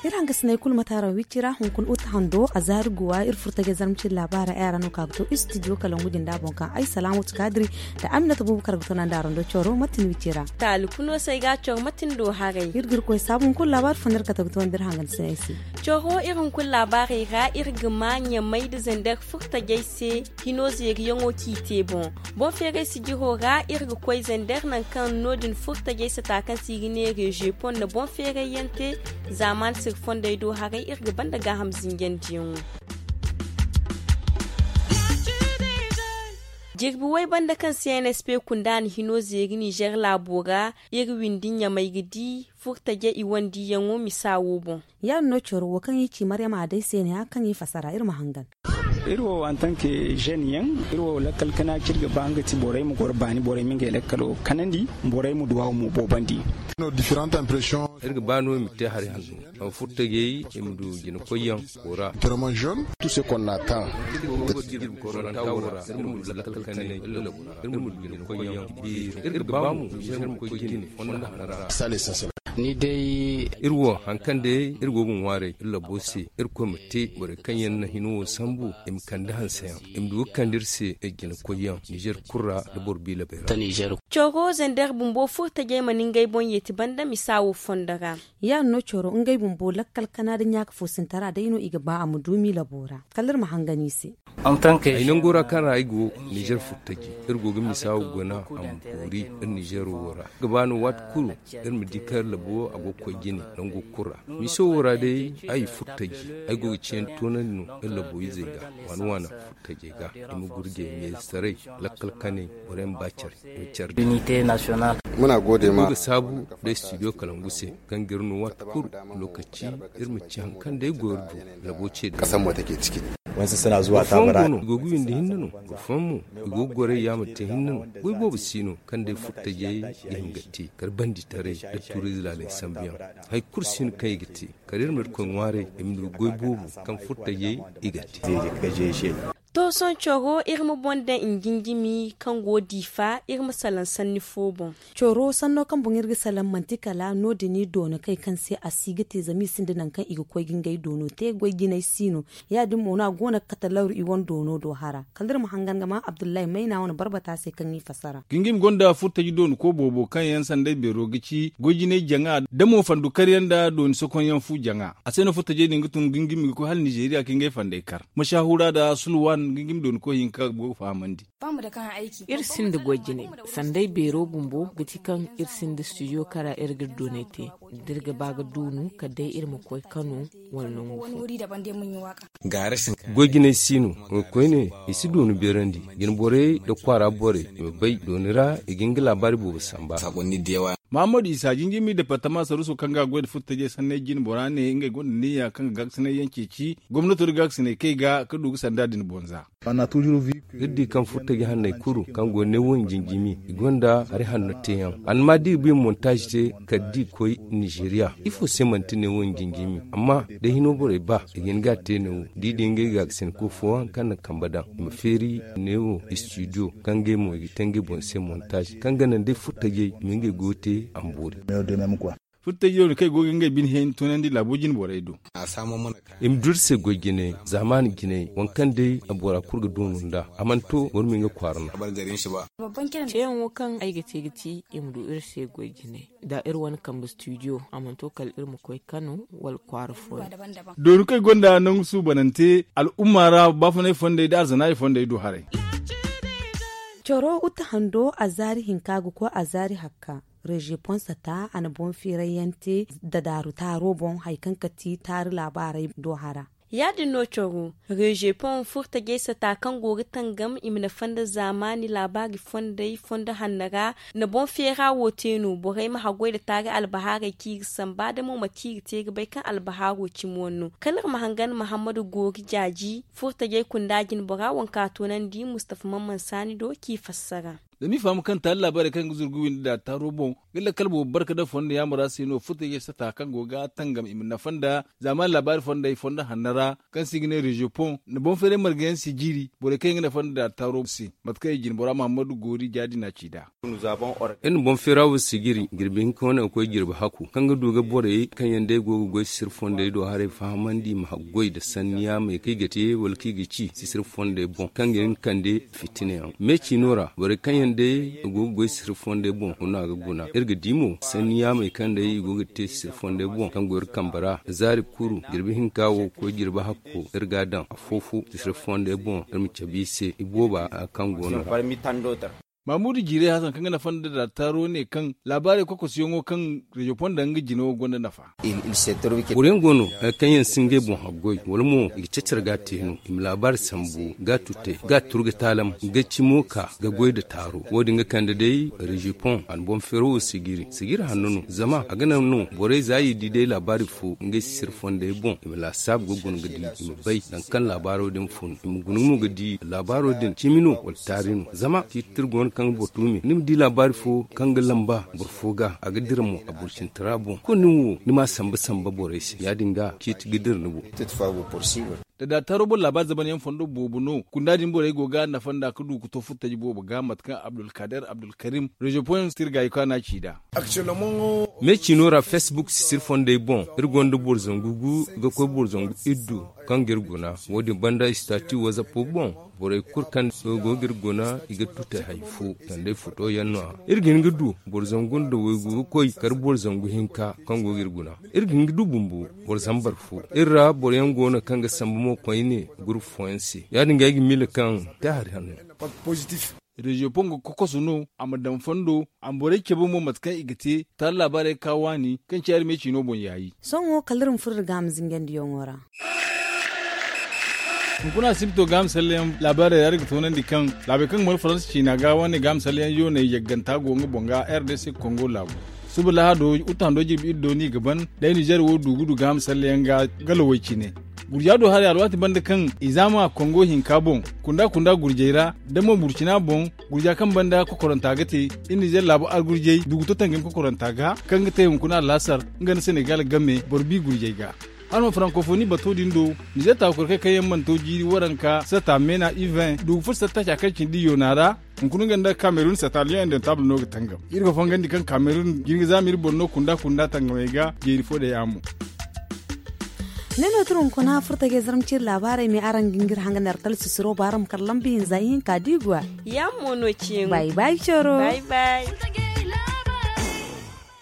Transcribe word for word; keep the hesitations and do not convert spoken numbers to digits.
Iri hangasinay kulu mataara wicci ra hunkuna uta hando a zaari guwa iri furtajay zarmacin labaara ay ra no ka ga to istidiyo kalangu jinda boŋ kaŋ ay salaamatu kaadiri da aminata buubu kar ga to naŋ da arondo coro matin wicci ra. Taali kuno se ay ga a coro matin do haray. Iri ga iri koy saabu hunkuna laabaari fo no iri kate ga to nda iri hangandisinay se. Coro iri hunkuna laabaaray ra iri ga ma ɲamay nda zandar furtajay se hino zeeriyaŋo k'i te boŋ. Boŋ feeray sijiro ra iri ga koy zandar nangu kaŋ no- din furtajay sata kaŋ se i ga ne reziyo pon na boŋ feeray yaŋ te. Zaamaani siri fondey do haray iri ga banda gaaham zinjandiyaŋo. Jirbi way banda kaŋ se n s p kunda na hino zeeri nizer laabo ra iri windi ɲamay ga di furtajay i wandiyaŋo misa wo boŋ. Ya- din no coro wo kaŋ i ci maryama a day se ne hã kaŋ i fasara iri ma hangan. Iri wo antanke zen yaŋ, iri wo lakkal kana kaŋ iri ga ba nga ti borey ma goro baani borey ma ngey lakkalo kanandi, borey ma duwaawo mo boobandi. Iri ga ba no i ma te hari hanno. Furtajey i ma du jina koyyaŋ koora. Iri ga ba mo iri ma koy jine fonda hanno ra. Ni day. Iri wo hari kaŋ day iri go ga ŋwaaray iri labo se, iri koy ma te borey kaŋ yaŋ na hino wo sambu i ma kande hanseyaŋ, i ma du ga kande iri se jina koyyaŋ nizer kulu ra nda boro biila bay ra. Coro zandar bumbo furtajey mana ngey boŋ yeeti banda misa wo fondo ra. Ya- din no coro ngey bumbo lakkal kana nda ɲaaka fo sintara day no i ga ba a ma du miila boora kala iri ma hangan i se. Ay nango ra kaŋ ra ay go nizer furtaji, iri go ga misa wo guna a ma boori iri nizer wo ra. Ga ba no waati kulu iri ma di kaŋ iri labo a go ga koy jine nango kulu ra. Miso wo ra day ay furtaji, ay go ga ciyaŋ toonandi no iri labo izey ga waana waana furtajey ga i ma gurjey meesaray lakkal kanay borey ma ba care. Muna gode ma ga saabu da studio kalangu se kaŋ ga iri no waati kulu lokaci iri ma ci hari kaŋ day go iri du labo ce da. Boro fooyaŋ go no i go ga windi hinne no, boro fooyaŋ mo i go ga gorey yaamar te hinne no. Goy boobo si no kaŋ day furtajey ga hin ga te kala banditaray da tuuriize laaley sambuyaŋ. Hari kulu si no kaŋ i ga te kala iri ma irkoy ŋwaaray i ma du goy boobo kaŋ furtajey i ga te. To sohõ coro iri ma boŋ daŋ njinjimi kaŋ go diifa iri ma salaŋ sanni fo boŋ. Coro sanno kaŋ boŋ iri ga salaŋ manti kala no- din i doona kay kaŋ se a si ga te zama i sinda nangu kaŋ i ga koy ga ngey doono te goy jinay si no. Ya- din mo no a go no ga kate lawru i wane doono do hara kala iri ma hangan ga ma abdullahi mayna wane barbata se kaŋ i fassara. Gingim gonda furtaji doonu ko boobo kaŋ yaŋ sanday beero ga ci goy jinay jaŋa da mo fandu karyaŋ nda dooni sokonyaŋ fu jaŋa. A se no furtajey din ga tun gingimi ga koy hala nizeeriya ka ngey fanday kar mashaahura nda sulwan gingimi dooni koy hinka go ga fahamandi. Iri sinda goy jinay sanday beero bumbo ga ti kaŋ iri sinda studio kara iri ga iri doonay te da iri ga ba ga duunu kala day iri ma koy kano wala nangu fo. Goy jinay si no. Koyne i si dooni beerandi jina borey nda kwaara borey i ma bay dooni ra i ga nga laabaari boobo samba. Mahammadu isa jinjimi departama saruso kaŋ ga a goy nda furtajey sanney jine bora ne ngey gonda niyya kaŋ ga gaakasinay yaŋ ceeci gomnato nda gaakasinay kay ga ka du ga sanda din bonza. Iri di kaŋ furtaji hanney kulu kaŋ go neewo nda jinjimi i gonda hari hanno teeyaŋ. Annama da i ga i ma montaaz te kala da i koy nizeeriya ifo se manti neewo nda jinjimi amma da hino borey ba i ga hin ga a te neewo da i di ngey gaakasinko fooyaŋ kaŋ na kambe daŋ i ma feeri neewo studio kaŋ ngey mo i ga te ngey boŋ se montaaz kaŋ ga naŋ day furtajey i ma ngey goyo te a ma boori. Furtajey no kaŋ i go ga ngey bine hẽeni tunandi laabo jine borey do. I ma du iri se goy jinay zaamaani jinay waŋ kaŋ day bora kulu ga doonu nd'a a mana to boro ma nga kwaara no. Ceeyaŋo kaŋ ay ga te ga ti i ma du iri se goy jinay da iri wane kambe studio a mana to kala iri ma koy kano wala kwaara fooyaŋ. Dooni kaŋ ay gonda nangu suubanante al'umma ra baafunay fondey nda arzanaay fondey du haray. Coro uta hando azaari hinka ga koy azaari hakka. Reziyo ponsata a na boŋ feeray yaŋ te dadaaru taaro boŋ hari kaŋ ga ti taari laabaarey do hara. Ya- din no coro reziyo pon furtajey sata kaŋ go ga tangam i ma nafa nda zaamaani laabaari fondey fondo hanno ra. Na boŋ feera wo te no borey ma haggoy nda taari albahaarey kaŋ i ga samba da mo mate i ga te ga bay kaŋ albahaaro cimi wane no kala iri ma hangan mahammadu goori jaaji furtajey kunda jinbora waŋ kaŋ a toonandi mustafa mamman saani do kaŋ i fassara. Zama i faham kaŋ taali laabaarey kaŋ ga zuru ga windi da taaro boŋ ga lakkal boobo barka nda fondo yaamara se no furtajey sata kaŋ go ga tangam i ma nafa nda zaamaani laabaari fondey fondo hanno ra kaŋ se i ga ne reziyo pon nda boŋ feeray marga yaŋ si jiiri borey kaŋ yaŋ ga nafa nda da taaro se. Mate kaŋ i jine bora muhammadu goori jaadi na ci nd'a. Iri na boŋ feera wo sijiri jirbi hinka wane ga koy jirbi hakku kaŋ ga du ga borey kaŋ yaŋ day go ga goy sisiri fondey do haray fahamandi i ma haggoy nda sanni yaamey kaŋ i ga te wala kaŋ i ga ci sisiri fondey boŋ kaŋ ga hin ga kande fitina yaŋ me ciino ra borey kaŋ yaŋ day go ga goy sisiri fondey boŋ kuna ga guna iri ga di mo sanni yaamey kaŋ day i go ga te sisiri fondey boŋ kaŋ go iri kambe ra zaari kuru jirbi hinka wo ga koy jirbi hakku iri ga a daŋ afo-fo sisiri fondey boŋ iri ma cabe i se i booba kaŋ go no ra. Mamudu jiiray hasan kaŋ ga nafa nda daataaro ne kaŋ laabaarey kokosiyaŋo kaŋ reziyo fonda nga jine wo gonda nafa. Boro yaŋ go no kaŋ yaŋ si ngey boŋ haggoy wala mo i ga cacar ga a te no i ma laabaari sambu ga a tutay ga a turu ga taalam ga cimo ka ga goy nda taaro wo- din ga kande day reziyo pon a na boŋ feero wo sijiri sijiri hanno no zama a ga naŋ no borey za i di day laabaari fo ngey sisiri fondey boŋ i ma laasaabu ga guna ga di i ma bay nangu kaŋ laabaaro din fun i ma guna mo ga di laabaaro din cimi no wala taari no zama ciiti tira go no kaŋ ga boro tuumi ni ma di laabaari fo kaŋ ga lamba boro fo ga a ga dira mo a burcintara boŋ kulu nin wo ni ma a samba samba borey se ya- din ga ciiti ga dira ni boŋ. Da daataaro boro laabaari zamanyaŋ fondo boobo no kunda din borey go ga nafa nda ga du ga to furtaji boobo ga mate kaŋ abdulkader abdulkarim reziyo poyaŋ sirgaayi kaŋ a na a ci nd'a. Me ciino ra facebook sisiri fondey boŋ iri gonda boro zangu gu ga koy boro zangu iddu kaŋ ga iri guna wo- din banda istati wazappo boŋ borey kulu kaŋ go ga iri guna i ga tutay hari fo kala day foto yaŋ no- ya iri ga hin ga du boro zangu nda waygu ga koy kala boro zangu hinka kaŋ go ga iri guna iri ga hin ga du bumbo boro zambar fo iri ra boro yaŋ go no kaŋ ga sambu mo koyne gurupu fooyaŋ se ya- din ga ay ga miila kaŋ te hari hanno. Reziyo pongo kokoso no a ma daŋ fondo a ma borey cabe mo mate kaŋ i ga te taali laabaarey ga ka waani kaŋ ci arme ciino boŋ yaayi. Sohõ kala iri ma furo iri gaama zinjandiyaŋo ra. Hunkuna asibito gaama salleyaŋ laabaarey ra iri ga toonandi kaŋ laabey kaŋ ga mara faransa ciina ga wane gaama salleyaŋ yooney yagganta go nga boŋ ga r d c kongo laabu suba lahado wutta hando jirbi iri do no i ga ban day nizer wo du ga du gaama salleyaŋ ga galo way cine. Gurja do haray alwaati banda kaŋ i zaama kongo hinka boŋ kunda kunda gurjey ra da mo burcina boŋ gurja kaŋ banda kokoranta ga te iri nizer laabu argurjey du ga to tangam kokoranta ga kaŋ ga te hunkuna allasar nga nda senegal game boro bi gurjey ga. Hala ma frankofoni bato din do nizer taakukurkey kaŋ yaŋ mana to jiiri waranka sata meena ivin du ga furo sata taaca kaŋ cindi yoona ra. Hunkuna nga nda kamerun sata lion indentable no ga tangam iri ga fongandi kaŋ kamerun jin ga zaama iri boro no kunda kunda tangamey ga jeeri fo day a mo. Ne no tira hunkuna furtajey zarma ciiri laabaarey me araŋ ga ngir hanga nda artal sisiro ba araŋ ma kar lamba hinza ihinka da i go a. Yaŋ mo no ciyaŋo bay bay coro bay bay.